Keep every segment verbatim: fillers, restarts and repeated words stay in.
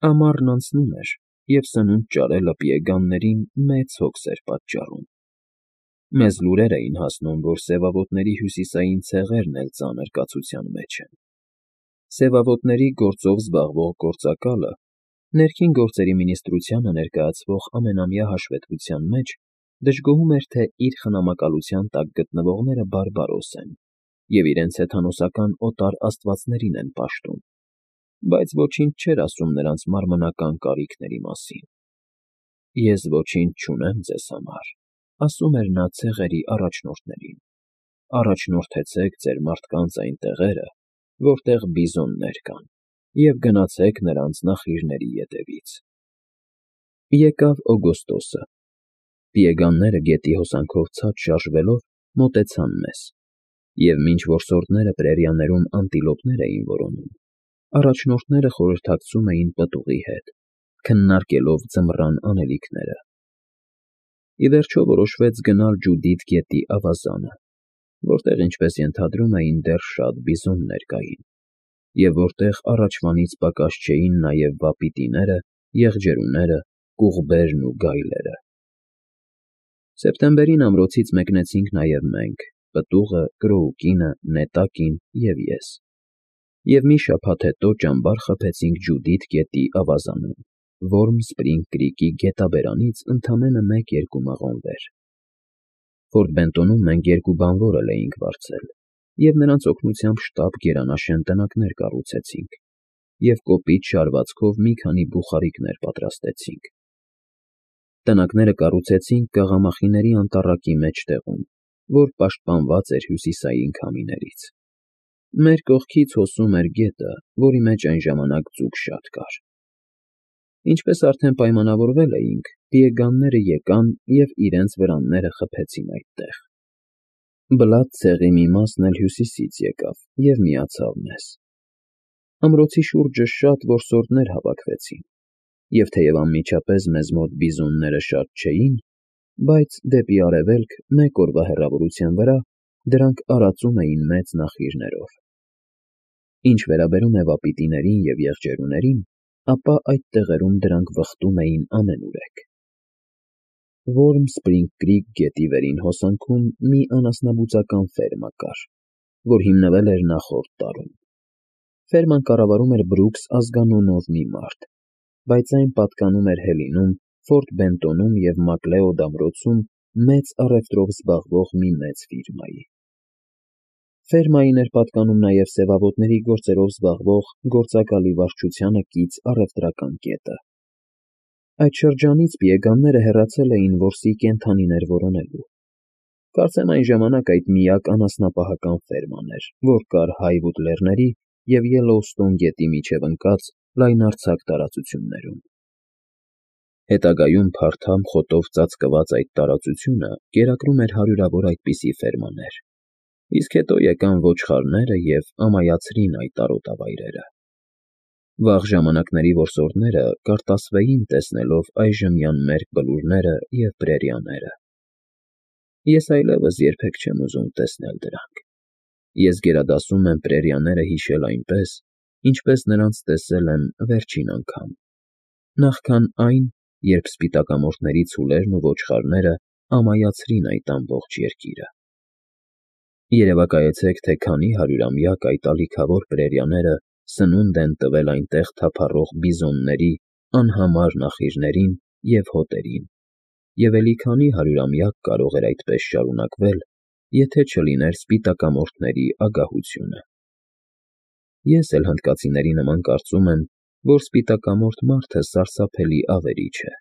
Ամառն անցնում էր, և սնունդ ճարելը պիեգաններին մեծ հոգս էր պատճառում. մեզ լուրեր էին հասնում, որ սևավոտների հյուսիսային ցեղերն էլ ծանր կացության մեջ են. սևավոտների գործով զբաղվող գործակալը ներքին գործերի մինիստրությանը ներկայացվող ամենամյա հաշվետվության մեջ դժգոհում էր, թե իր խնամակալության տակ գտնվողները բարբարոս են և իրենց հեթանոսական օտար աստվածներին են պաշտում, բայց ոչինչ չէր ասում նրանց մարմնական կարիքների մասին։ «Ես ոչինչ չունեմ ձեզ համար,֊ ասում էր նա ցեղերի առաջնորդներին,֊ առաջնորդեցեք ձեր մարդկանց այն տեղերը, որտեղ բիզոններ կան, և գնացեք նրանց նախիրների ետևից»։ Եկավ օգոստոսը, պիեգանները գետի հոսանքով ցած շարժվելով մոտեցան մեզ, և մինչ որսորդները պրերիաներում անտիլոպներ էին որոնում, առաջնորդները խորհրդակցում էին պտուղի հետ, քննարկելով ձմռան անելիքները։ Ի վերջո որոշվեց գնալ Ջուդիթ գետի ավազանը, որտեղ, ինչպես ենթադրում էին, դեռ շատ բիզոններ կային, և որտեղ առաջվանից պակաս չէին նաև վապիտիները, եղջերուները, կուղբերն ու գայլերը։ Սեպտեմբերին ամրոցից մեկնեցինք նաև մենք՝ պտուղը, Կրոուկինը, Նետակին և ես, և մի շաբաթ հետո ճամբար խփեցինք Ջուդիթ գետի ավազանում, Որմ Սպրինգ Կրիկի գետաբերանից ընդամենը մեկ֊երկու մղոն վեր։ Ֆորտ Բենտոնում մենք երկու բանվորել էինք վարձել, և նրանց օգնությամբ շտապ գերանաշեն տնակներ կառուցեցինք և կոպիտ շարվածքով մի քանի բուխարիկներ պատրաստեցինք։ Տնակները կառուցեցինք կաղամախիների անտառակի մեջտեղում, որ պաշտպանված էր հյուսիսային քամիներից։ Մեր կողքից հոսում էր գետը, որի մեջ այն ժամանակ ձուկ շատ կար։ Ինչպես արդեն պայմանավորվել էինք, պիեգանները եկան և իրենց վրանները խփեցին այդտեղ։ Բլադ ցեղի մի մասն էլ հյուսիսից եկավ և միացավ մեզ։ Ամրոցի շուրջը շատ որսորդներ հավաքվեցին, և թեև անմիջապես մեզ մոտ բիզոնները շատ չէին, բայց դեպի արևելք, մեկ օրվա հեռավորության վրա, դրանք արածում էին մեծ նախիրներով։ Ինչ վերաբերում է վապիտիներին և եղջերուներին, ապա այդ տեղերում դրանք վխտում էին ամենուրեք։ Որմ Սպրինգ Կրիկ գետի վերին հոսանքում մի անասնաբուծական ֆերմա կար, որ հիմնվել էր նախորդ տարում։ Ֆերման կառավարում էր Բրուքս ազգանունով մի մարդ, բայց այն պատկանում էր Հելինում, Ֆորտ Բենտոնում և Մակլեոդ ամրոցում մեծ առևտրով զբաղվող մի մեծ ֆիրմայի։ Ֆերմային էր պատկանում նաև սևավոտների գործերով զբաղվող գործակալի վարչությանը կից առևտրական կետը։ Այդ շրջանից պիեգանները հեռացել էին որսի կենդանիներ որոնելու։ Կարծեմ այն ժամանակ այդ միակ անասնապահական ֆերման էր, որ կար Հայվուդ լեռների և Ելլոուստոն գետի միջև ընկած լայնարձակ տարածություններում։ Հետագայում փարթամ խոտով ծածկված այդ տարածությունը կերակրում էր հարյուրավոր այդպիսի ֆերմաներ, իսկ հետո եկան ոչխարները և ամայացրին այդ արոտավայրերը։ Վաղ ժամանակների որսորդները կարտասվեին, տեսնելով այժմյան մերկ բլուրները և պրերիաները։ Ես այլևս երբեք չեմ ուզում տեսնել դրանք։ Ես գերադասում եմ պրերիաները հիշել այնպես, ինչպես նրանց տեսել եմ վերջին անգամ, նախքան այն, երբ սպիտակամորթների ցուլերն ու ոչխարները ամայացրին այդ ամբողջ երկիրը։ Երևակայեցեք, թե քանի հարյուրամյակ այդ ալիքավոր պրերիաները սնունդ են տվել այնտեղ թափառող բիզոնների անհամար նախիրներին և հոտերին, և էլի քանի հարյուրամյակ կարող էր այդպես շարունակվել, եթե չլիներ սպիտակամորթների ագահությունը։ Ես էլ հնդկացիների նման կարծում եմ, որ սպիտակամորթ մարդը սարսափելի ավերիչ է։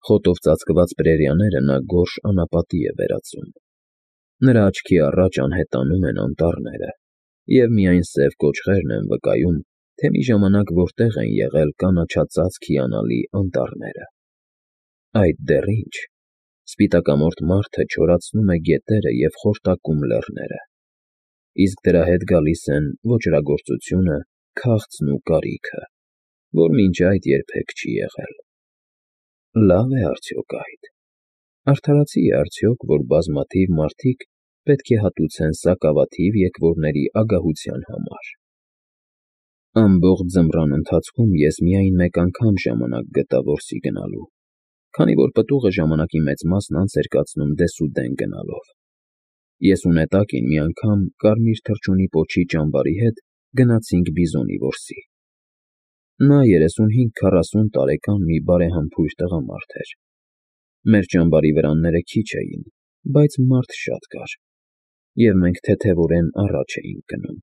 Խոտով ծածկված պրերիաները նա գորշ անապատի է վերածում։ Նրա աչքի առաջ անհետանում են անտառները, և միայն սև կոճղերն են վկայում, թե մի ժամանակ որտեղ են եղել կանաչածածկ հիանալի անտառները։ Այդ դեռ ինչ, սպիտակամորթ մարդը չորացնում է գետերը և խորտակում լեռները, իսկ դրա հետ գալիս են ոճրագործությունը, քաղցն ու կարիքը, որ մինչ այդ երբեք չի եղել։ Լավ է արդյոք այդ։ Արդարացի է արդյոք, որ բազմաթիվ մարդիկ պետք է հատուցեն սակավաթիվ եկվորների ագահության համար։ Ամբողջ ձմռան ընթացքում ես միայն մեկ անգամ ժամանակ գտա որսի գնալու, քանի որ պտուղը ժամանակի մեծ մասն անց էր կացնում դեսուդեն գնալով։ Ես ու Նետակին մի անգամ Կարմիր թռչունի պոչի ճամբարի հետ գնացինք բիզոնի որսի։ Նա երեսունհինգ քառասուն տարեկան մի բարեհամբույր տղամարդ էր։ Մեր ճամբարի վրանները քիչ էին, բայց մարդ շատ կար, և մենք թեթևորեն առաջ էինք գնում։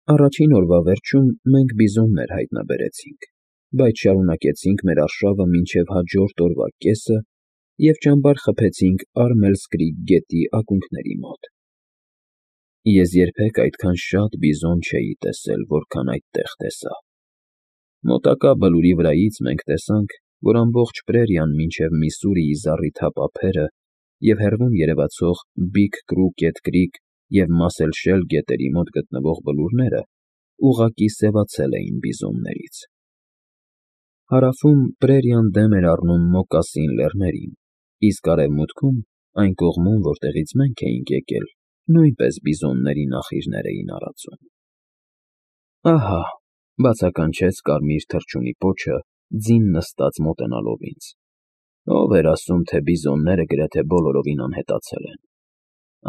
Առաջին օրվա վերջում մենք բիզոններ հայտնաբերեցինք, բայց շարունակեցինք մեր արշավը մինչև հաջորդ օրվա կեսը և ճամբար խփեցինք Արմելս Կրիք գետի ակունքների մոտ։ Ես երբեք այդքան շատ բիզոն չէի տեսել, որքան այդտեղ տեսա։ Մոտակա բլուրի վրայից մենք տեսանք, որ ամբողջ պրերիան մինչև Միսսուրիի զառիթափ ափերը և հեռվում երևացող Բիգ Կրուկետ Կրիք և Մասել Շել գետերի մոտ գտնվող բլուրները ուղղակի սևացել էին բիզոններից։ Հարավում պրերիան դեմ էր առնում Մոկասին լեռներին, իսկ արևմուտքում, այն կողմում, որտեղից մենք էինք եկել, նույնպես բիզոնների նախիրներ էին արածում։ Ահա, բացականչեց Կարմիր թռչունի պոչը, ձին նստած մոտենալով ինձ։ Ով էր ասում, թե բիզոնները գրեթե բոլորովին անհետացել են։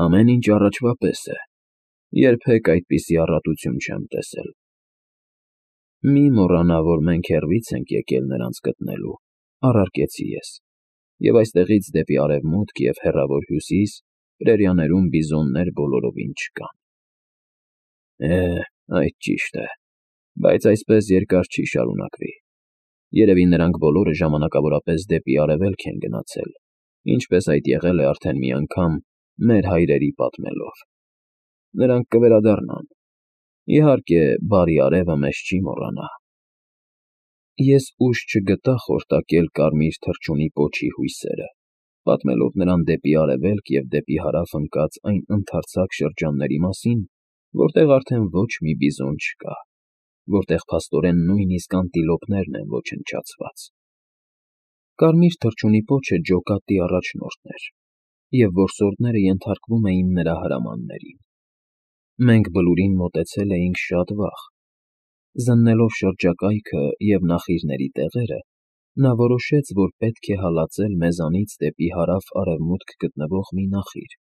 Ամեն ինչ առաջվա պես է։ Երբեք այդպիսի առատություն չեմ տեսել։ Մի մոռանա, որ մենք հեռվից ենք եկել նրանց գտնելու, առարկեցի ես, և այստեղից դեպի արևմուտք և հեռավոր հյուսիս պրերիաներում բիզոններ բոլորովին չկան։ Է, այդ ճիշտ է, բայց այսպես երկար չի շարունակվի։ Երևի նրանք բոլորը ժամանակավորապես դեպի արևելք են գնացել, ինչպես այդ եղել է արդեն մի անգամ մեր հայրերի պատմելով։ Նրանք կվերադառնան։ Իհարկե, բարի արևը մեզ չի մոռանա։ Ես ուժ չգտա խորտակել Կարմիր թռչունի պոչի հույսերը, պատմելով նրան դեպի արևելք և դեպի հարավ ընկած այն ընդարձակ շրջանների մասին, որտեղ արդեն ոչ մի բիզոն չկա, որտեղ փաստորեն նույնիսկ անտիլոպներն են ոչնչացված։ Կարմիր թռչունի պոչը ջոկատի առաջնորդն էր, և որսորդները ենթարկվում էին նրա հրամաններին։ Մենք բլուրին մոտեցել էինք շատ վաղ։ Զննելով շրջակայքը և նախիրների տեղերը, նա որոշեց, որ պետք է հալածել մեզանից դեպի հարավ֊արևմուտք գտնվող մի նախիր,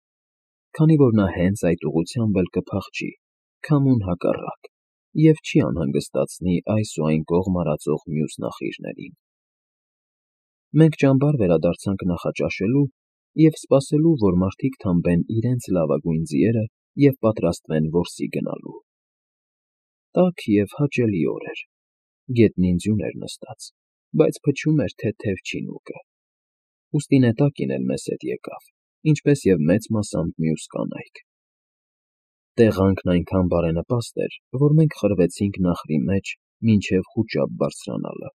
քանի որ նա հենց այդ ուղղությամբ էլ կփախչի, քամուն հակառակ, և չի անհանգստացնի այս ու այն կողմ արածող մյուս նախիրներին։ Մենք ճամբար վերադարձանք նախաճաշելու և սպասելու, որ մարդիկ թամբեն իրենց լավագույն ձիերը և պատրաստվեն որսի գնալու։ Տաք և հաճելի օր էր, գետնին ձյուն էր նստած, բայց փչում էր թեթև չինուկը։ Ուստի Նետակին էլ մեզ հետ եկավ, ինչպես և մեծ մասամբ մյուս կանայք։ Տեղանքն այնքան բարենպաստ էր, որ մենք խրվեցինք նախրի մեջ մինչև խուճապ բարձրանալը։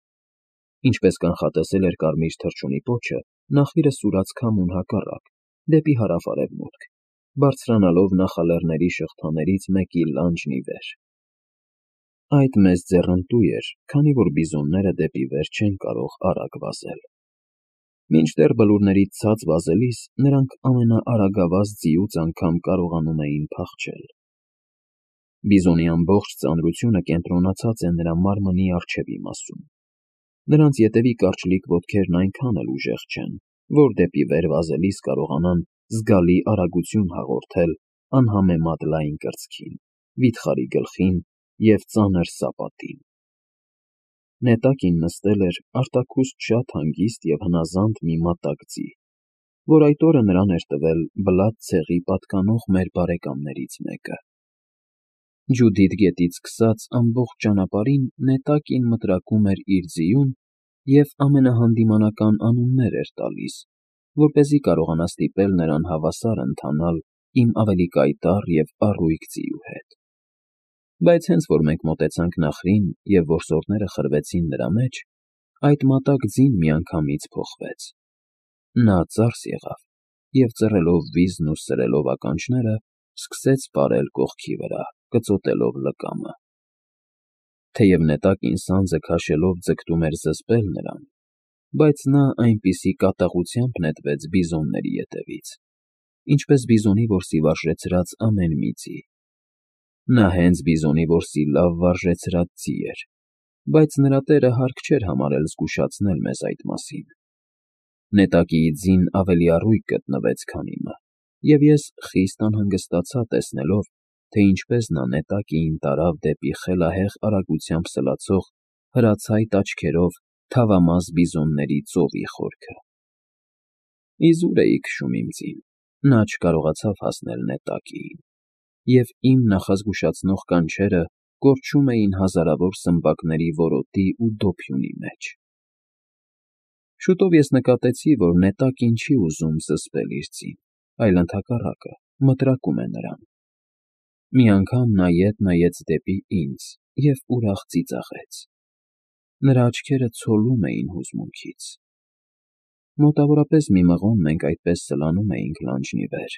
Ինչպես կանխատեսել էր Կարմիր թռչունի պոչը, նախիրը սուրաց քամուն հակառակ, դեպի հարավ֊արևմուտք, բարձրանալով նախալեռների շղթաներից մեկի լանջն ի վեր։ Այդ մեզ ձեռնտու էր, քանի որ բիզոնները դեպի վեր չեն կարող արագ վազել։ Մինչդեռ բլուրներից ցած վազելիս նրանք ամենաարագավազ ձիուց անգամ կարողանում էին փախչել։ Բիզոնի ամբողջ ծանրությունը կենտրոնացած է նրա մարմնի առջևի մասում։ Նրանց ետևի կարճլիկ ոտքերն այնքան էլ ուժեղ չեն, որ դեպի վեր վազելիս կարողանան զգալի արագություն հաղորդել անհամեմատ լայն կրծքին, վիթխարի գլխին և ծանր սապատին։ Նետակին նստել էր արտաքուստ շատ հանգիստ և հնազանդ մի մատակ ձի, որ այդ օրը նրան էր տվել Բլադ ցեղի պատկանող մեր բարեկամներից մեկը։ Ջուդիթ գետից սկսած ամբողջ ճանապարհին Նետակին մտրակում էր իր ձիուն և ամենահանդիմանական անուններ էր տալիս, որպեսզի կարողանա ստիպել նրան հավասար ընթանալ իմ ավելի կայտառ և առույգ ձիու հետ։ Բայց հենց որ մենք մոտեցանք նախրին և որսորդները խրվեցին նրա մեջ, այդ մատակ ձին միանգամից փոխվեց։ Նա ծարս եղավ և ծռելով վիզն ու սրելով ականջները, սկսեց պարել կողքի վրա, կծոտելով լկամը։ Թեև Նետակին սանձը քաշելով ձգտում էր զսպել նրան, բայց նա այնպիսի կատաղությամբ նետվեց բիզոնների ետևից, ինչպես բիզոնի որսի վարժեցրած ամեն մի ձի։ Նա հենց բիզոնի որսի լավ վարժեցրած ձի էր, բայց նրա տերը հարկ չէր համարել զգուշացնել մեզ այդ մասին։ Նետակիի ձին ավելի առույգ գտնվեց, քան իմը, և ես խիստ անհանգստացա տեսնելով, թե ինչպես նա նետակիին տարավ դեպի խելահեղ արագությամբ սլացող հրացայտ աչքերով թավամաս բիզոնների ծովի խորքը։ Իզուր էի քշում իմ ձին, նա չկարողացավ հասնել նետակիին, և իմ նախազգուշացնող կանչերը կորչում էին հազարավոր սմբակների որոտի ու դոփյունի մեջ։ Շուտով ես նկատեցի, որ նետակին չի ուզում զսպել իր ձին, այլ ընդհակառակը, մտրակում է նրան։ Մի անգամ նա ետ նայեց դեպի ինձ և ուրախ ծիծաղեց։ Նրա աչքերը ցոլում էին հուզմունքից։ Մոտավորապես մի մղոն մենք այդպես սլանում էինք լանջն ի վեր,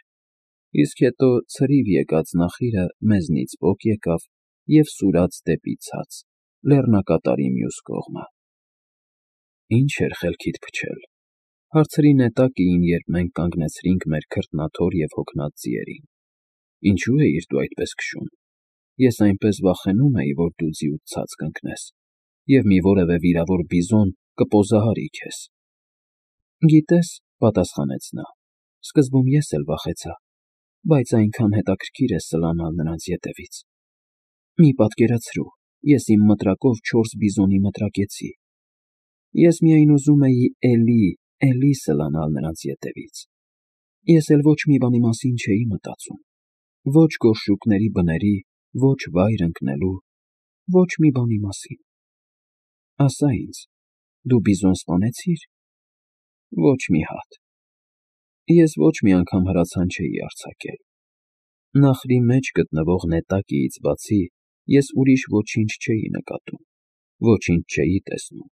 իսկ հետո ցրիվ եկած նախիրը մեզնից պոկ եկավ և սուրաց դեպի ցած, լեռնակատարի մյուս կողմը։ Ի՞նչ էր խելքիդ փչել,֊ հարցրի նետակիին, երբ մենք կանգնեցրինք մեր քրտնաթոր և հոգնած ձիերին։ Ինչո՞ւ էիր դու այդպես քշում։ Ես այնպես վախենում էի, որ դու ձիուց ցած կընկնես, և մի որևէ վիրավոր բիզոն կպոզահարի քեզ։ Գիտես,֊ պատասխանեց նա,֊ սկզբում ես էլ վախեցա, բայց այնքան հետաքրքիր է սլանալ նրանց ետևից։ Մի պատկերացրու, ես իմ մտրակով չորս բիզոնի մտրակեցի։ Ես միայն ուզում էի էլի, էլի սլանալ նրանց ետևից։ Ես էլ ոչ մի բանի մասին չէի մտածում, ոչ գորշուկների բների, ոչ վայր ընկնելու, ոչ մի բանի մասին։ Ասա ինձ, դու բիզոն սպանեցի՞ր։ Ոչ մի հատ։ Ես ոչ մի անգամ հրացան չէի արձակել։ Նախրի մեջ գտնվող նետակիից բացի ես ուրիշ ոչինչ չէի նկատում, ոչինչ չէի տեսնում,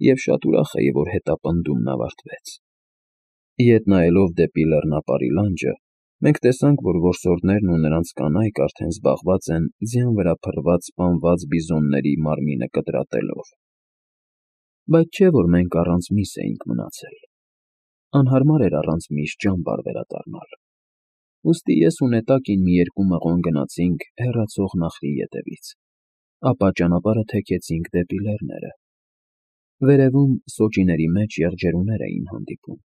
և շատ ուրախ էի, որ հետապնդումն ավարտվեց։ Ետ նայելով դեպի լեռնապարի լանջը, մենք տեսանք, որ որսորդներն ու նրանց կանայք արդեն զբաղված են ձյան վրա փռված սպանված բիզոնների մարմինը կտրատելով։ Բայց չէ՞ որ մենք առանց միս էինք մնացել։ Անհարմար էր առանց միս ճամբար վերադառնալ։ Ուստի ես ու նետակին մի երկու մղոն գնացինք հեռացող նախրի ետևից, ապա ճանապարհը թեքեցինք դեպի լեռները։ Վերևում սոճիների մեջ եղջերուներ էին հանդիպում,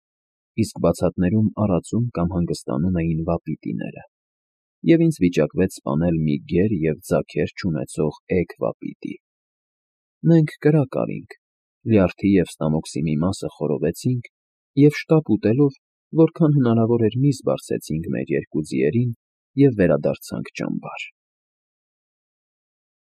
իսկ բացատներում արածում կամ հանգստանում էին վապիտիները, և ինձ վիճակվեց սպանել մի գեր և ձագեր չունեցող էգ վապիտի։ Մենք կրակ արինք, լյարդի և ստամոքսի մի մասը խորովեցինք և շտապ ուտելով, որքան հնարավոր էր միս բարձեցինք մեր երկու ձիերին և վերադարձանք ճամբար։